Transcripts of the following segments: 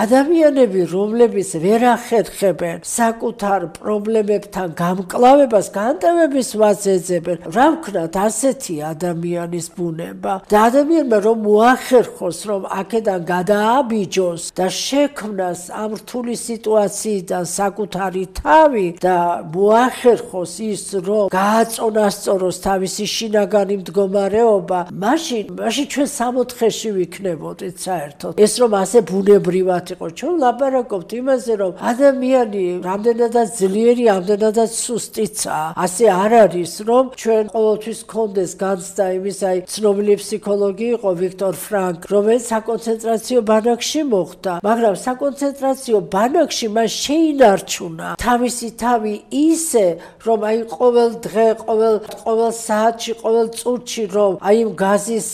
ადამიანები, რომლებიც ვერ ახერხებენ საკუთარ პრობლემებთან გამკლავებას, განტევების ვადს ეძებენ, რა ვქნათ, ასეთი ადამიანის ბუნება. და ადამიანმა რომ მოახერხოს, რომ აქედან გადააბიჯოს და შექმნას ამ რთული სიტუაციიდან საკუთარი თავი და მოახერხოს ის, რომ გააწონასწოროს თავისი შინაგანი მდგომარეობა, მაშინ ჩვენ 64-ში ვიქნებოდით საერთოდ. ეს რომ ასე ბუნებრივად იყო, ჩვენ ლაპარაკობთ იმაზე, რომ ადამიანი რამდენადაც ძლიერი, ამდენადაც სუსტიცაა. ასე არ არის, რომ ჩვენ ყოველთვის გქონდეს განცდა იმის, აი ცნობილი ფსიქოლოგი იყო ვიქტორ ფრანკ, რომელიც საკონცენტრაციო ბანაკში მოხვდა, მაგრამ საკონცენტრაციო ბანაკში მას შეინარჩუნა თავისი თავი ისე, რომ აი ყოველ დღე, ყოველ საათში, ყოველ წუთში, რომ აი იმ გაზის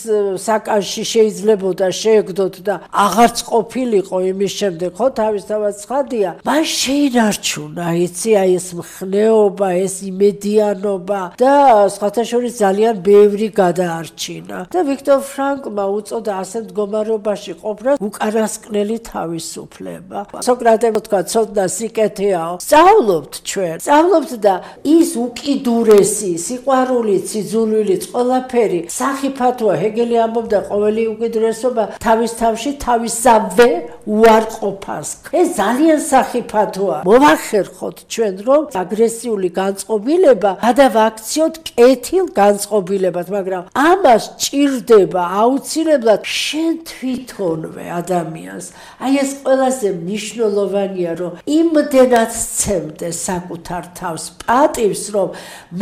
საკანში შეიძლებოდა შეეგდოთ და აღარც ყოფილიყო იმის შემდეგ, ხო, თავისთავად ცხადია, მას შეინარჩუნა, იცი, აი ეს მხნეობა, ეს იმედიანობა და სხვათა შორის ძალიან ბევრი გადაარჩინა. და ვიქტორ ფრანკმა უწოდა ასე მდგომარეობაში ყოფნა უკანასკნელი თავისუფლება. სოკრატემ თქვა, ცოდნა სიკეთეაო. სწავლობთ ჩვენ, სწავლობთ და ის უკიდურესი, სიყვარულიც, სიძულვილიც, ყველაფერი სახიფათოა. ჰეგელი ამბობდა, ყოველი უკიდურესობა თავის თავში თავისავე უარყოფას. ეს ძალიან სახიფათოა. მოვახერხოთ ჩვენ, რომ აგრესიული განწყობილება გადავაქციოთ კეთილ განწყობილებად, მაგრამ ამას ჭირდება აუცილებლად შენ თვითონვე ადამიანს. აი ეს ყველაზე მნიშვნელოვანია, რომ იმდენად სცემდე საკუთარ თავს პატივს, რომ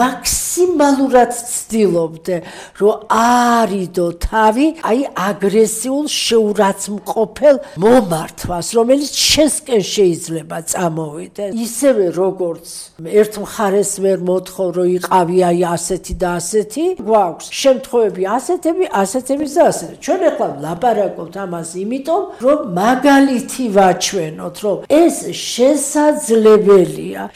მაქსიმალურად ცდილობდე, რომ არიდო თავი აი აგრესიულ შეურაცხმყოფელ მომართვას, რომელიც შენსკენ შეიძლება წამოვიდეს. ისევე როგორც ერთ მხარეს ვერ მოთხოვ, რომ იყავი აი ასეთი და ასეთი, გვაქვს შემთხვევები ასეთები და ასეთი. ჩვენ ახლა ვლაპარაკობთ ამას იმიტომ, რომ მაგალითი ვაჩვენოთ, რომ ეს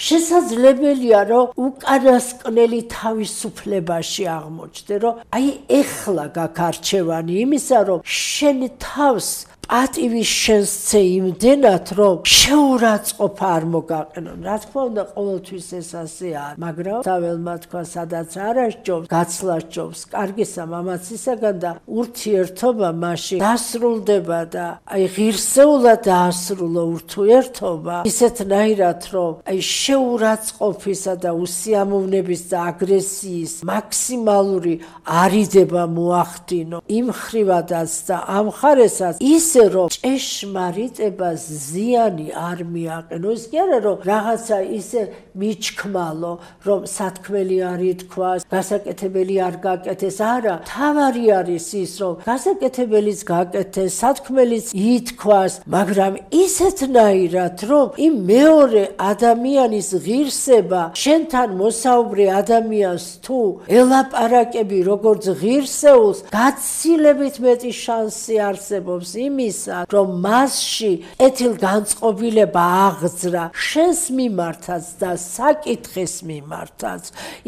შესაძლებელია, რომ უკანასკნელი თავისუფლებაში აღმოჩნდე, რომ აი ეხლა გაქვს არჩევანი იმისა, რომ შენ თავს პატივის შენსცე იმდენად, რომ შეურაცხყოფა არ მოგაყენონ. რა თქმა უნდა, ყოველთვის ეს ასე არ, მაგრამ თაველმა თქვა, სადაც არ ასჯობს, გაცლა სჯობს, კარგისა მამაცისაგან და ურთიერთობა მაშინ დასრულდება და აი ღირსეულად დაასრულო ურთიერთობა ისეთნაირად, რომ აი შეურაცხყოფისა და უსიამოვნების და აგრესიის მაქსიმალური არიდება მოახდინო იმ ხრივადაც და ამ მხარესაც ისე რომ ჭეშმარიტებას ზიანი არ მიაყენო. ის კი არა, რომ რაღაცა ისე მიჩქმალო, რომ სათქმელი არ ითქვას, გასაკეთებელი არ გაკეთეს. არა, თავარი არის ის, რომ გასაკეთებელიც გაკეთეს, სათქმელიც ითქვას, მაგრამ ისეთნაირად, რომ იმ მეორე ადამიანის ღირსება შენთან მოსაუბრე ადამიანს თუ ელაპარაკები როგორც ღირსეულს, გაცილებით მეტი შანსი არსებობს იმისა, რომ მასში კეთილ განწყობილება აღძრა შენს მიმართაც და საკითხის მიმართაც,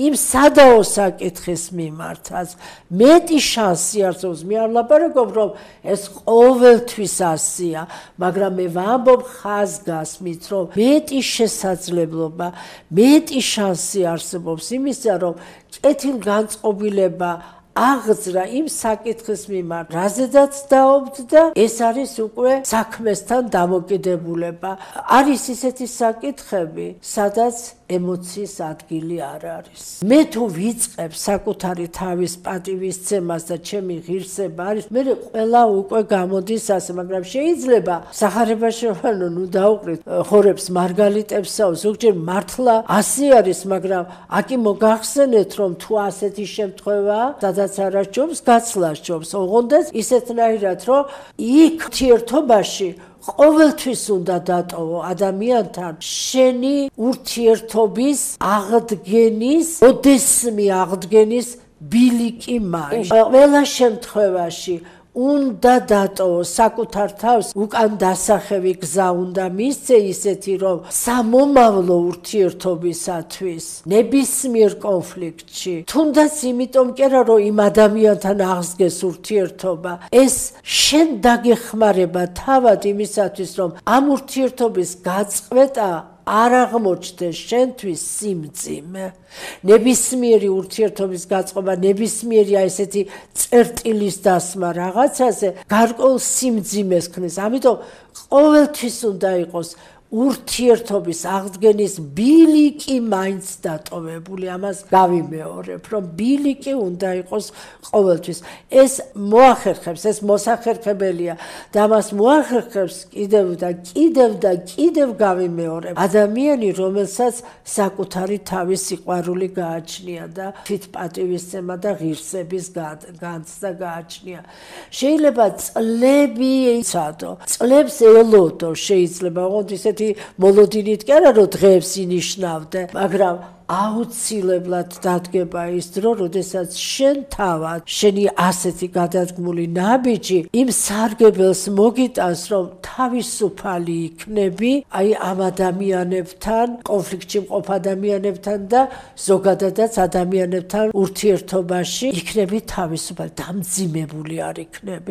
იმ სადაო საკითხის მიმართაც მეტი შანსი არსებობს. მე არ ვლაპარაკობ, რომ ეს ყოველთვის ასეა, მაგრამ მე ვამბობ ხაზგასმით, რომ მეტი შესაძლებლობა, მეტი შანსი არსებობს იმისა, რომ კეთილ განწყობილება აღძრა იმ საკითხის მიმართ, რაზედაც დაობთ და ეს არის უკვე საქმესთან დამოკიდებულება. არის ისეთი საკითხები, სადაც ემოციის ადგილი არ არის. მე თუ ვიწყებ საკუთარი თავის პატივისცემას და ჩემი ღირსება არის, მე ყველა უკვე გამოდის ასე, მაგრამ შეიძლება სახარებაში ნუ დაუყრით ხორებს მარგალიტებსაო, ზოგჯერ მართლა ასე არის, მაგრამ აკი მოგახსენეთ, რომ თუ ასეთი შემთხვევაა, სადაც არ ასჯობს, გაცლა სჯობს. ოღონდ ისეთნაირად, რომ იქ ურთიერთობაში ყოველთვის უნდა დატოვო ადამიანთან შენი ურთიერთობის აღდგენის, ოდესმე აღდგენის ბილიკი მაინც. ყველა შემთხვევაში უნდა დატოვო საკუთარ თავს უკან დასახევი გზა უნდა მისცე ისეთი რომ სამომავლო ურთიერთობისათვის ნებისმიერ კონფლიქტში თუნდაც იმიტომ კი არა რომ იმ ადამიანთან აღსგეს ურთიერთობა ეს შენ დაგეხმარება თავად იმისათვის რომ ამ ურთიერთობის გაწყვეტა არ აღმოჩნდეს შენთვის სიმძიმე ნებისმიერი ურთიერთობის გაწყობა ნებისმიერი ესეთი წერტილის დასმა რაღაცაზე გარკვეულ სიმძიმეს ქმნის ამიტომ ყოველთვის უნდა იყოს ურთიერთობის აღდგენის ბილიკი მაინც დატოვებული ამას გავიმეორებ რომ ბილიკი უნდა იყოს ყოველთვის ეს მოახერხებს ეს მოსახერხებელია და ამას მოახერხებს კიდევ გავიმეორებ ადამიანი რომელსაც საკუთარი თავის სიყვარული გააჩნია და თვითპატივისცემა და ღირსების განცდა გააჩნია შეიძლება წლები იცადო წლებს ელოდო შეიძლება ოღონდ ისეთ მოლოდინით კი არა რომ დღეებს ინიშნავდე მაგრამ აუცილებლად დადგება ის დრო როდესაც შენ თავად შენი ასეთი გადადგმული ნაბიჯი იმ სარგებელს მოგიტანს რომ თავისუფალი იქნები აი ამ ადამიანებთან კონფლიქტში მყოფ ადამიანებთან და ზოგადადაც ადამიანებთან ურთიერთობაში იქნები თავისუფალი დამძიმებული არ იქნები